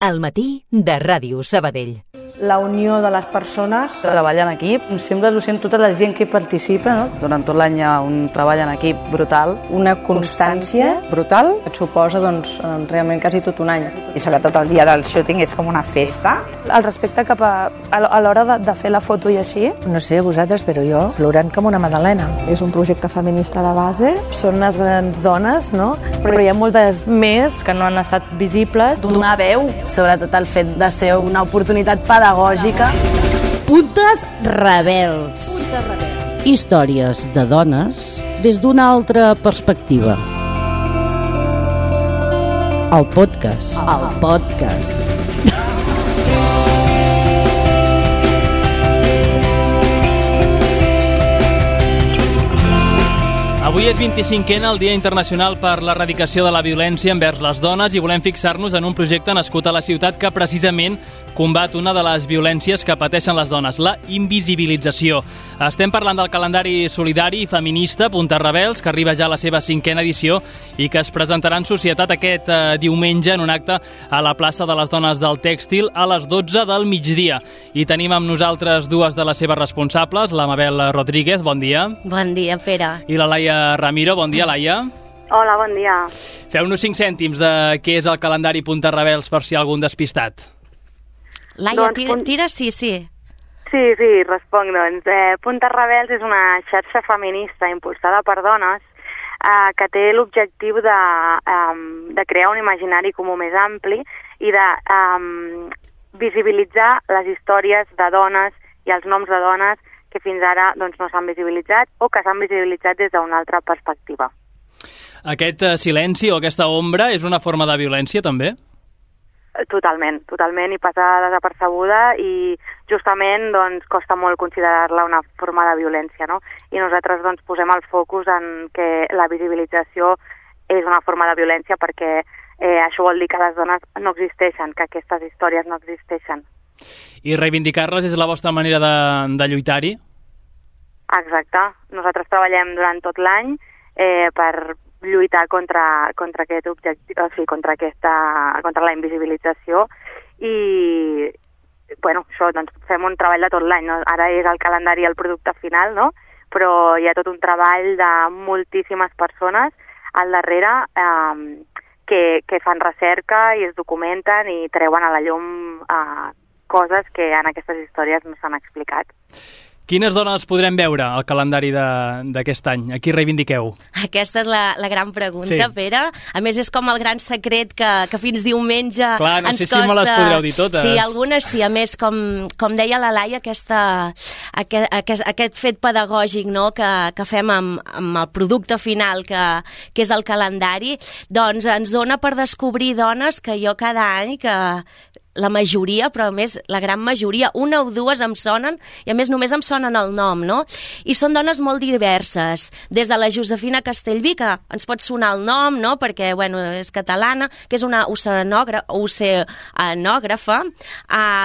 Al matí de Ràdio Sabadell. La unió de les persones que treballen en equip, sempre ho sent tota la gent que hi participa, no? Durant tot l'any hi ha un treball en equip brutal. Una constància brutal que et suposa realment quasi tot un any. I sobretot el dia del shooting és com una festa. El respecte cap a l'hora de fer la foto i així. No sé vosaltres, però jo plorant com una magdalena. És un projecte feminista de base, són unes grans dones, no? Però hi ha moltes més Que no han estat visibles. Donar veu, sobretot el fet de ser una oportunitat pedagògica. Puntes rebels. Històries de dones des d'una altra perspectiva. El podcast. Avui és 25è el Dia Internacional per l'Erradicació de la Violència envers les dones i volem fixar-nos en un projecte nascut a la ciutat que precisament combat una de les violències que pateixen les dones, la invisibilització. Estem parlant del calendari solidari i feminista Puntes Rebels, que arriba ja a la seva 5a edició i que es presentarà en societat aquest diumenge en un acte a la plaça de les Dones del Tèxtil a les 12 del migdia. I tenim amb nosaltres dues de les seves responsables, la Mabel Rodríguez, bon dia. Bon dia, Pere. I la Laia Ramiro, bon dia, Laia. Hola, bon dia. Feu-nos 5 cèntims de què és el calendari Puntes Rebels per si hi ha algun despistat. Laia, tira, sí. Sí, responc, doncs. Puntes Rebels és una xarxa feminista impulsada per dones que té l'objectiu de crear un imaginari comú més ampli i de visibilitzar les històries de dones i els noms de dones que fins ara doncs, no s'han visibilitzat o que s'han visibilitzat des d'una altra perspectiva. Aquest silenci o aquesta ombra és una forma de violència, també? Totalment, i passa desapercebuda i justament doncs, costa molt considerar-la una forma de violència, no? I nosaltres doncs, posem el focus en que la visibilització és una forma de violència perquè això vol dir que les dones no existeixen, que aquestes històries no existeixen. I reivindicar-les és la vostra manera de lluitar-hi? Exacte. Nosaltres treballem durant tot l'any per lluitar contra aquest objectiu, o sigui, contra la invisibilització i això, doncs, fem un treball de tot l'any, no? Ara és el calendari el producte final, no? Però hi ha tot un treball de moltíssimes persones al darrere que fan recerca i es documenten i treuen a la llum coses que en aquestes històries no s'han explicat. Quines dones podrem veure al calendari d'aquest any? A qui reivindiqueu? Aquesta és la gran pregunta, sí. Pere. A més, és com el gran secret que fins diumenge ens costa... Clar, no sé si me les podreu dir totes. Sí, algunes sí. A més, com deia la Laia, aquest fet pedagògic, no?, que fem amb el producte final, que és el calendari, doncs ens dona per descobrir dones que jo cada any... La majoria, però a més la gran majoria, una o dues em sonen i a més només em sonen el nom, no? I són dones molt diverses, des de la Josefina Castellví, que ens pot sonar el nom, no?, perquè, és catalana, que és una oceanògrafa,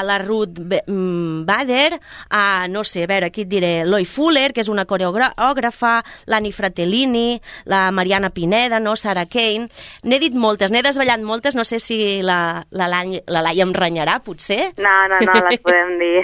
la Ruth Bader, aquí et diré, Loy Fuller, que és una coreògrafa, l'Anni Fratellini, la Mariana Pineda, no?, Sarah Kane. N'he dit moltes, n'he desvetllat moltes, no sé si la Laia em renyarà, potser? No, les podem dir.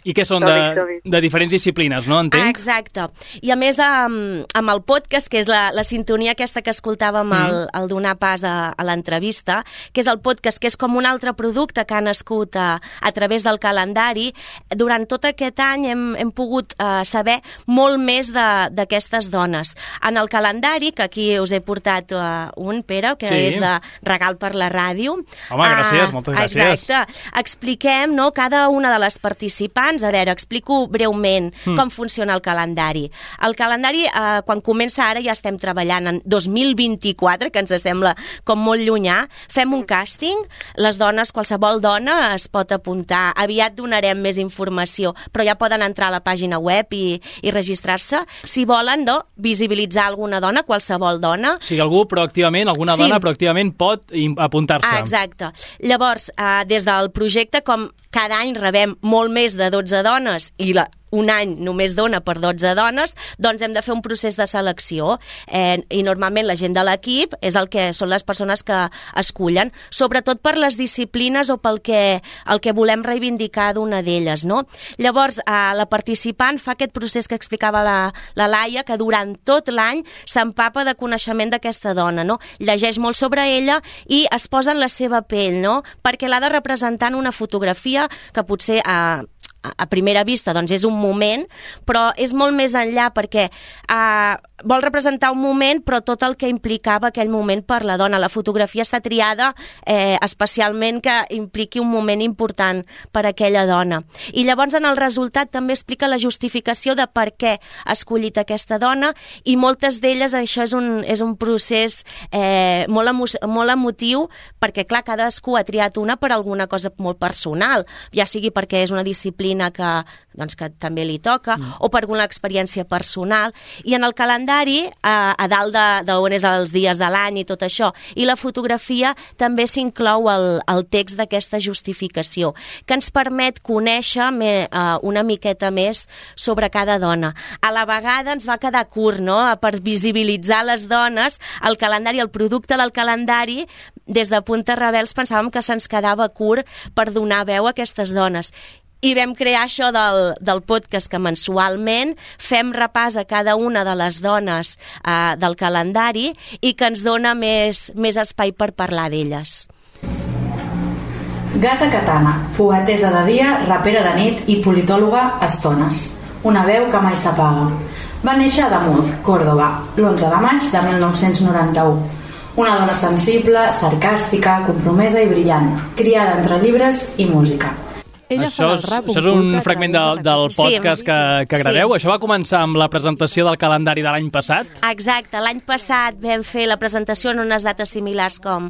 I que són de diferents disciplines, no? Entenc? Exacte. I a més, amb el podcast, que és la sintonia aquesta que escoltàvem al donar pas a l'entrevista, que és el podcast, que és com un altre producte que ha nascut a través del calendari, durant tot aquest any hem pogut saber molt més d'aquestes dones. En el calendari, que aquí us he portat un, Pere, que és de regal per la ràdio. Home, gràcies, moltes gràcies. Exacte. Expliquem, no?, cada una de les participants. A veure, explico breument com funciona el calendari. El calendari, quan comença ara, ja estem treballant en 2024, que ens sembla com molt llunyà. Fem un càsting, les dones, qualsevol dona es pot apuntar. Aviat donarem més informació, però ja poden entrar a la pàgina web i registrar-se. Si volen, no?, visibilitzar alguna dona, qualsevol dona. O sigui, alguna dona proactivament pot apuntar-se. Exacte. Llavors, des del projecte, com cada any rebem molt més de 12 dones i un any només dona per 12 dones, doncs hem de fer un procés de selecció i normalment la gent de l'equip són les persones que escullen, sobretot per les disciplines o pel el que volem reivindicar d'una d'elles, no? Llavors, la participant fa aquest procés que explicava la Laia, que durant tot l'any s'empapa de coneixement d'aquesta dona, no? Llegeix molt sobre ella i es posa en la seva pell, no? Perquè l'ha de representar en una fotografia que potser a primera vista doncs és un moment, però és molt més enllà perquè vol representar un moment però tot el que implicava aquell moment per la dona. La fotografia està triada especialment que impliqui un moment important per a aquella dona. I llavors en el resultat també explica la justificació de per què ha escollit aquesta dona i moltes d'elles això és un procés molt emotiu perquè clar, cadascú ha triat una per alguna cosa molt personal, ja sigui perquè és una disciplina que també li toca o per alguna experiència personal, i en el calendari a dalt d'on és els dies de l'any i tot això, i la fotografia també s'inclou el text d'aquesta justificació, que ens permet conèixer una miqueta més sobre cada dona. A la vegada ens va quedar curt, no?, per visibilitzar les dones, el calendari, el producte del calendari, des de Puntes Rebels pensàvem que se'ns quedava curt per donar veu a aquestes dones. I vam crear això del podcast, que mensualment fem repàs a cada una de les dones del calendari i que ens dona més espai per parlar d'elles. Gata Katana, foguetesa de dia, rapera de nit i politòloga a estones. Una veu que mai s'apaga. Va néixer a Damunt, Córdoba, l'11 de maig de 1991. Una dona sensible, sarcàstica, compromesa i brillant, criada entre llibres i música. Això és un fragment del podcast que graveu. Sí. Això va començar amb la presentació del calendari de l'any passat? Exacte. L'any passat vam fer la presentació en unes dates similars com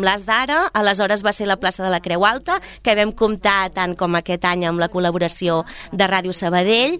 les d'ara. Aleshores va ser la plaça de la Creu Alta, que vam comptar tant com aquest any amb la col·laboració de Ràdio Sabadell.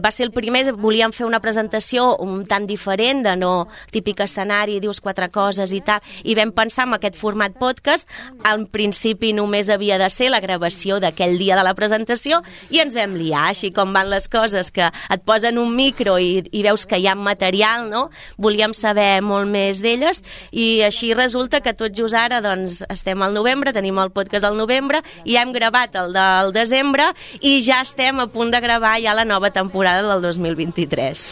Va ser el primer, volíem fer una presentació un tant diferent, de no típic escenari, dius quatre coses i tal, i vam pensar en aquest format podcast. En principi només havia de ser la gravació d'aquell dia de la presentació i ens vam liar, així com van les coses, que et posen un micro i veus que hi ha material, no? Volíem saber molt més d'elles i així resulta que tot just ara doncs estem al novembre, tenim el podcast al novembre i hem gravat el del desembre i ja estem a punt de gravar ja la nova temporada del 2023.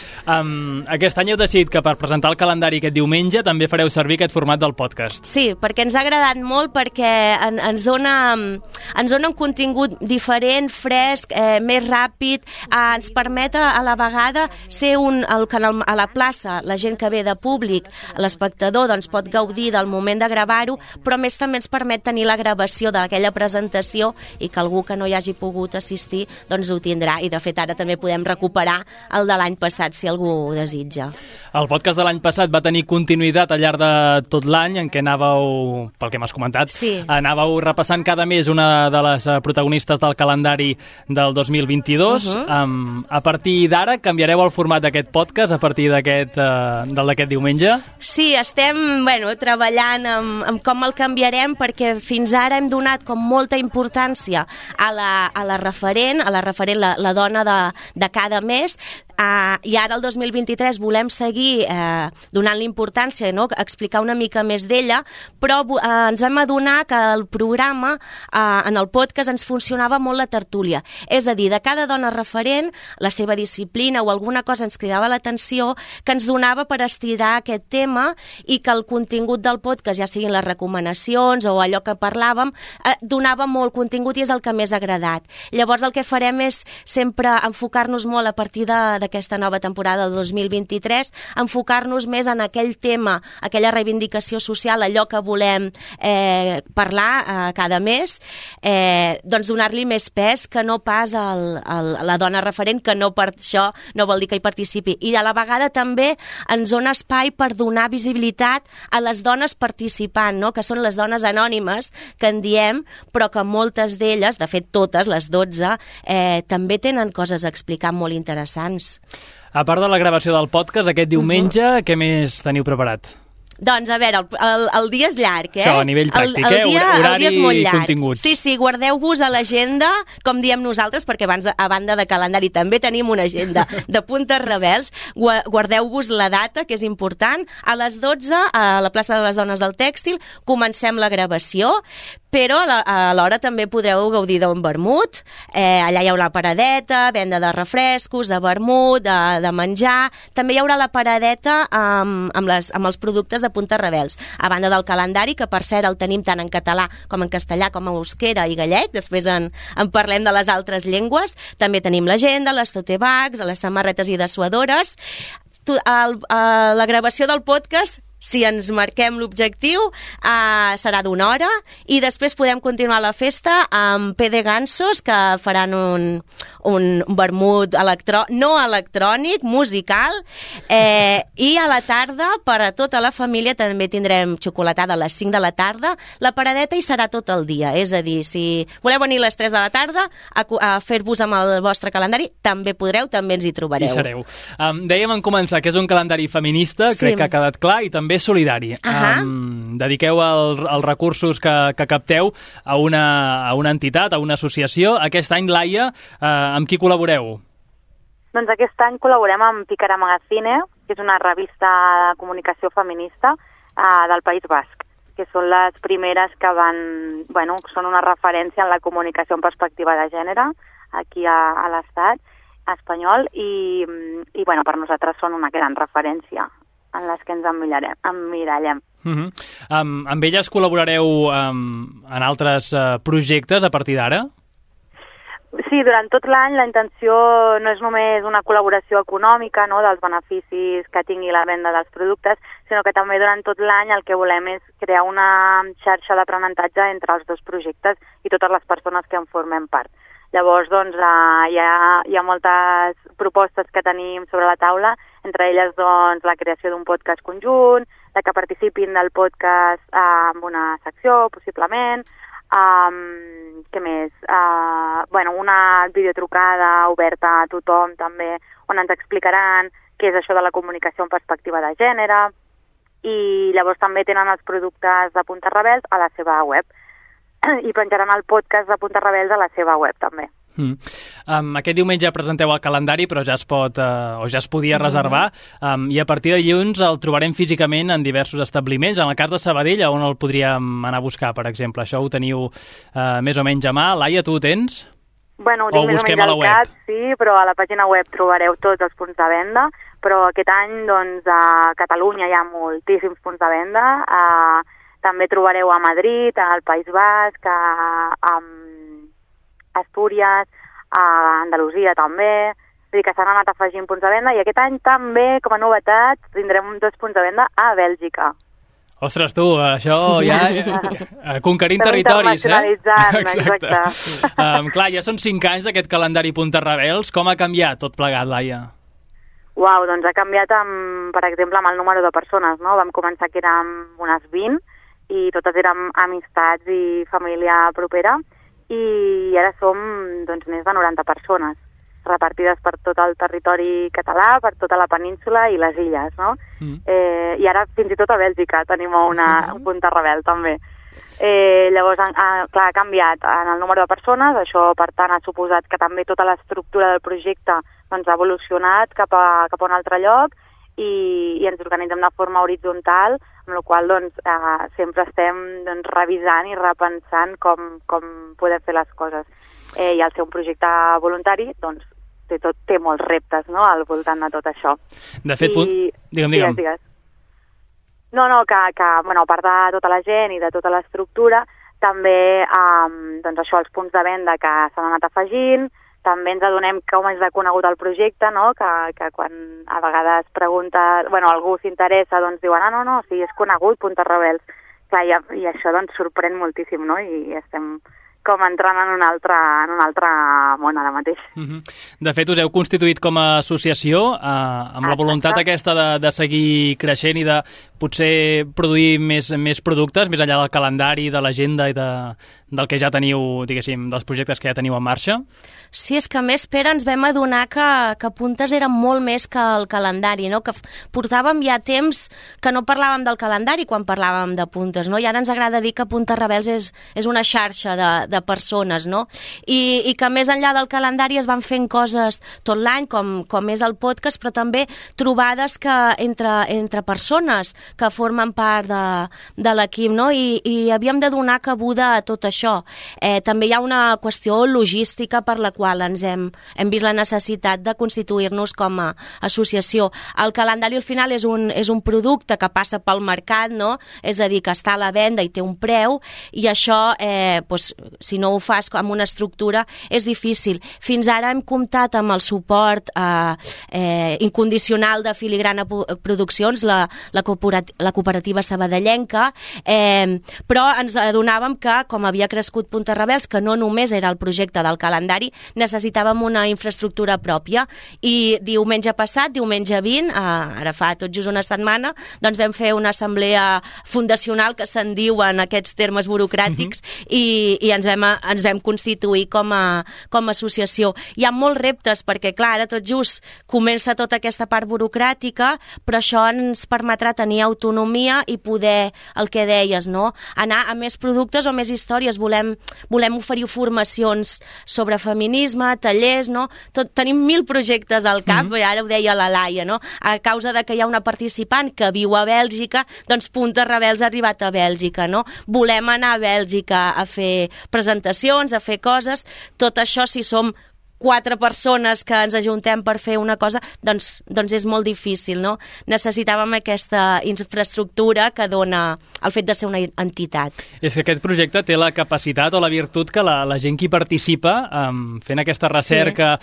Aquest any heu decidit que per presentar el calendari aquest diumenge també fareu servir aquest format del podcast. Sí, perquè ens ha agradat molt, perquè ens dona un contingut diferent, fresc, més ràpid, ens permet a la vegada ser a la plaça, la gent que ve de públic, l'espectador doncs pot gaudir del moment de gravar-ho, però més també ens permet tenir la gravació d'aquella presentació i que algú que no hi hagi pogut assistir doncs ho tindrà, i de fet ara també podem recuperar el de l'any passat si algú ho desitja. El podcast de l'any passat va tenir continuïtat al llarg de tot l'any, en què anàveu, pel que m'has comentat, anàveu repassant cada mes una de les protagonistes del calendari del 2022. A partir d'ara canviareu el format d'aquest podcast a partir d'aquest diumenge? Sí, estem treballant amb com el canviarem, perquè fins ara hem donat com molta importància a la referent, la dona de cada mes, i ara el 2023 volem seguir donant-li importància, no? Explicar una mica més d'ella, però ens vam adonar que el programa en el podcast ens funcionava molt la tertúlia, és a dir, de cada dona referent, la seva disciplina o alguna cosa ens cridava l'atenció, que ens donava per estirar aquest tema i que el contingut del podcast, ja siguin les recomanacions o allò que parlàvem, donava molt contingut i és el que més ha agradat. Llavors el que farem és sempre enfocar-nos molt a partir d'aquesta nova temporada del 2023, enfocar-nos més en aquell tema, aquella reivindicació social, allò que volem parlar cada mes, doncs donar-li més pes que no pas a la dona referent, que no per això no vol dir que hi participi. I a la vegada també ens dona espai per donar visibilitat a les dones participant, no? Que són les dones anònimes, que en diem, però que moltes d'elles, de fet totes, les 12, també tenen coses a explicar molt interessants. A part de la gravació del podcast, aquest diumenge, què més teniu preparat? Doncs, a veure, el dia és llarg, Això, a nivell pràctic, el dia és molt i llarg. continguts. Sí, guardeu-vos a l'agenda, com diem nosaltres, perquè abans, a banda de calendari també tenim una agenda de puntes rebels. Guardeu-vos la data, que és important. A les 12, a la plaça de les Dones del Tèxtil, comencem la gravació, però alhora també podreu gaudir d'un vermut. Allà hi haurà paradeta, venda de refrescos, de vermut, de menjar. També hi haurà la paradeta amb els productes de puntes rebels. A banda del calendari, que per cert el tenim tant en català com en castellà, com en euskera i gallec, després en parlem de les altres llengües. També tenim l'agenda, les tote bags, les samarretes i dessuadores. La gravació del podcast, si ens marquem l'objectiu, serà d'1 hora i després podem continuar la festa amb PD Gansos, que faran un vermut no electrònic, musical, i a la tarda, per a tota la família, també tindrem xocolatada a les 5 de la tarda. La paradeta hi serà tot el dia, és a dir, si voleu venir a les 3 de la tarda a fer-vos amb el vostre calendari, també podreu, també ens hi trobareu. Hi sereu. Dèiem en començar que és un calendari feminista, crec que ha quedat clar, i també solidari. Dediqueu els recursos que capteu a una entitat, a una associació. Aquest any, Laia, amb qui col·laboreu? Doncs aquest any col·laborem amb Pícara Magazine, que és una revista de comunicació feminista del País Basc, que són les primeres que són una referència en la comunicació en perspectiva de gènere aquí a l'Estat espanyol i per nosaltres són una gran referència en les que ens emmirallem. Amb elles col·laborareu en altres projectes a partir d'ara? Sí, durant tot l'any la intenció no és només una col·laboració econòmica, no, dels beneficis que tingui la venda dels productes, sinó que també durant tot l'any el que volem és crear una xarxa d'aprenentatge entre els dos projectes i totes les persones que en formem part. Llavors, doncs, hi ha moltes propostes que tenim sobre la taula, entre elles, doncs, la creació d'un podcast conjunt, que participin del podcast en una secció, possiblement, què més? Una videotrucada oberta a tothom, també, on ens explicaran què és això de la comunicació en perspectiva de gènere, i llavors també tenen els productes de Puntes Rebels a la seva web. I penjaran el podcast de Puntes Rebels a la seva web, també. Aquest diumenge presenteu el calendari, però ja es pot o ja es podia reservar, i a partir de dilluns el trobarem físicament en diversos establiments. En el cas de Sabadell, on el podríem anar a buscar, per exemple? Això ho teniu més o menys a mà. Laia, tu ho tens? Bueno, ho tinc més o menys al cap, sí, però a la pàgina web trobareu tots els punts de venda, però aquest any, doncs, a Catalunya hi ha moltíssims punts de venda. També trobareu a Madrid, al País Basc, a Astúries, a Andalusia també. Vull dir que s'han anat afegint punts de venda i aquest any també, com a novetat, tindrem 2 punts de venda a Bèlgica. Ostres, tu, això ja... conquerint territoris, Exacte. Clar, ja són 5 anys d'aquest calendari Puntes Rebels. Com ha canviat tot plegat, Laia? Uau, doncs ha canviat, per exemple, amb el número de persones, no? Vam començar que érem unes 20 i totes érem amistats i família propera, i ara som, doncs, més de 90 persones repartides per tot el territori català, per tota la península i les illes, no? I ara fins i tot a Bèlgica tenim un Punta Rebel, també. Llavors, clar, ha canviat en el número de persones, això, per tant, ha suposat que també tota l'estructura del projecte doncs, ha evolucionat cap a un altre lloc i ens organitzem de forma horitzontal, amb la qual doncs, sempre estem doncs, revisant i repensant com podem fer les coses. I al ser un projecte voluntari, doncs, té molts reptes, no?, al voltant de tot això. De fet, digue'm. Digues. No, que a part de tota la gent i de tota l'estructura, també doncs això, els punts de venda que s'han anat afegint, també ens adonem com és de conegut el projecte, no?, que quan a vegades algú s'interessa, doncs diuen, no, sí, és conegut, Puntes Rebels. Clar, i això doncs sorprèn moltíssim, no?, i estem com entrant en un altre món ara mateix. De fet, us heu constituït com a associació amb la voluntat aquesta de seguir creixent i de potser produir més productes, més enllà del calendari, de l'agenda i del que ja teniu, diguéssim, dels projectes que ja teniu en marxa? Sí, és que a més, Pere, ens vam adonar que Puntes era molt més que el calendari, no? Que portàvem ja temps que no parlàvem del calendari quan parlàvem de Puntes, no? I ara ens agrada dir que Puntes Rebels és una xarxa de persones, no? I que més enllà del calendari es van fent coses tot l'any, com és el podcast, però també trobades entre persones que formen part de l'equip, no? I havíem de donar cabuda a tot això. També hi ha una qüestió logística per la qual ens hem vist la necessitat de constituir-nos com a associació. El calendari al final és un producte que passa pel mercat, no? És a dir, que està a la venda i té un preu, i això, si no ho fas amb una estructura, és difícil. Fins ara hem comptat amb el suport incondicional de Filigrana Produccions, la cooperativa sabadellenca, però ens adonàvem que, com havia crescut Puntes Rebels, que no només era el projecte del calendari, necessitàvem una infraestructura pròpia. I diumenge passat, diumenge 20, ara fa tot just una setmana, doncs vam fer una assemblea fundacional, que se'n diuen aquests termes burocràtics, i ens vam constituir com a associació. Hi ha molts reptes, perquè clar, ara tot just comença tota aquesta part burocràtica, però això ens permetrà tenir autonomia i poder, el que deies, no? Anar a més productes o més històries. Volem oferir formacions sobre feminisme, tallers, no? Tenim 1000 projectes al cap, ara ho deia la Laia, no? A causa de que hi ha una participant que viu a Bèlgica, doncs Puntes Rebels ha arribat a Bèlgica, no? Volem anar a Bèlgica a fer presentacions, a fer coses. Tot això, si som 4 persones que ens ajuntem per fer una cosa, doncs és molt difícil, no? Necessitàvem aquesta infraestructura que dona el fet de ser una entitat. És que aquest projecte té la capacitat o la virtut que la gent que hi participa, fent aquesta recerca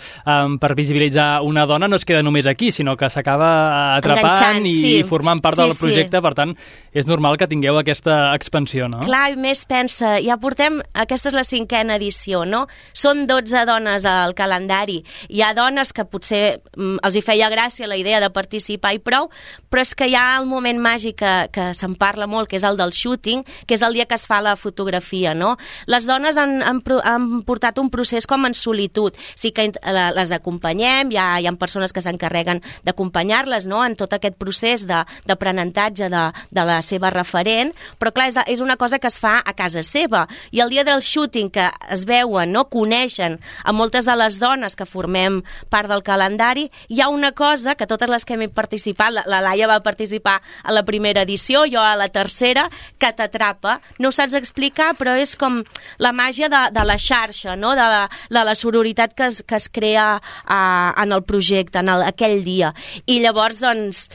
per visibilitzar una dona, no es queda només aquí, sinó que s'acaba atrapant i formant part del projecte. Per tant, és normal que tingueu aquesta expansió, no? Clar, i més pensa, ja portem, aquesta és la 5a edició, no? Són 12 dones al calendari. Hi ha dones que potser els hi feia gràcia la idea de participar i prou, però és que hi ha el moment màgic que se'n parla molt, que és el del shooting, que és el dia que es fa la fotografia, no? Les dones han portat un procés com en solitud. Sí que les acompanyem, hi ha persones que s'encarreguen d'acompanyar-les, no?, en tot aquest procés d'aprenentatge de la seva referent, però clar, és una cosa que es fa a casa seva. I el dia del shooting, que es veuen, no?, coneixen a moltes de les dones que formem part del calendari, hi ha una cosa que totes les que hem participat, la Laia va participar a la primera edició, jo a la tercera, que t'atrapa. No ho saps explicar, però és com la màgia de la xarxa, no?, de la sororitat que es crea en el projecte, en aquell dia. I llavors, doncs,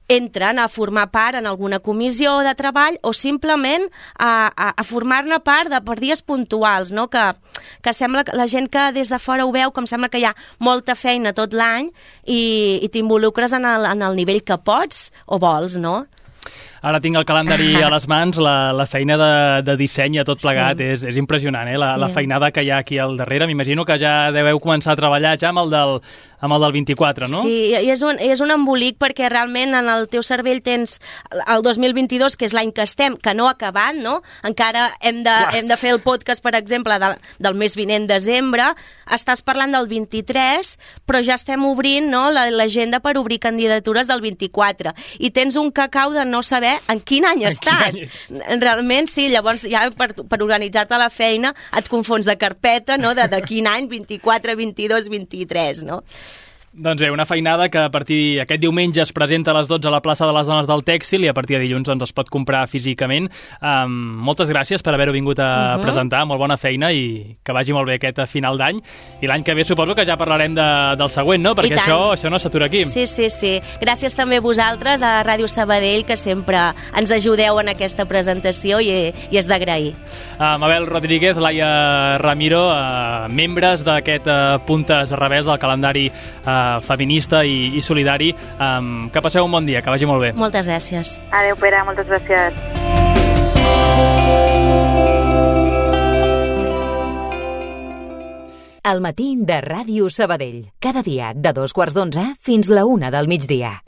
entren a formar part en alguna comissió de treball o simplement a formar-ne part per dies puntuals, no? Que sembla que la gent que des de fora ho veu com sembla que hi ha molta feina tot l'any i t'involucres en el nivell que pots o vols, no? Ara tinc el calendari a les mans, la feina de disseny a tot plegat és impressionant, la feinada que hi ha aquí al darrere. M'imagino que ja deveu començar a treballar ja amb el del 24, no? Sí, i és un embolic perquè realment en el teu cervell tens el 2022, que és l'any que estem, que no ha acabat, no? Encara hem de fer el podcast, per exemple, del mes vinent, desembre. Estàs parlant del 23, però ja estem obrint, no, l'agenda per obrir candidatures del 24. I tens un cacau de no saber en quin any estàs. Realment, sí, llavors ja per organitzar-te la feina et confons de carpeta, no?, de quin any, 24, 22, 23, no? Doncs bé, una feinada que a partir aquest diumenge es presenta a les 12 a la plaça de les Dones del Tèxtil i a partir de dilluns es pot comprar físicament. Moltes gràcies per haver-ho vingut a presentar, molt bona feina i que vagi molt bé aquest final d'any. I l'any que ve suposo que ja parlarem del següent, no? Perquè això no s'atura aquí. Sí. Gràcies també a vosaltres, a Ràdio Sabadell, que sempre ens ajudeu en aquesta presentació i és d'agrair. Mabel Rodríguez, Laia Ramiro, membres d'aquest Puntes Rebels del calendari feminista i solidari. Que passeu un bon dia, que vagi molt bé. Moltes gràcies. Adéu, Pere, moltes gràcies. El matí de Ràdio Sabadell. Cada dia de 2:15 fins la 1 del migdia.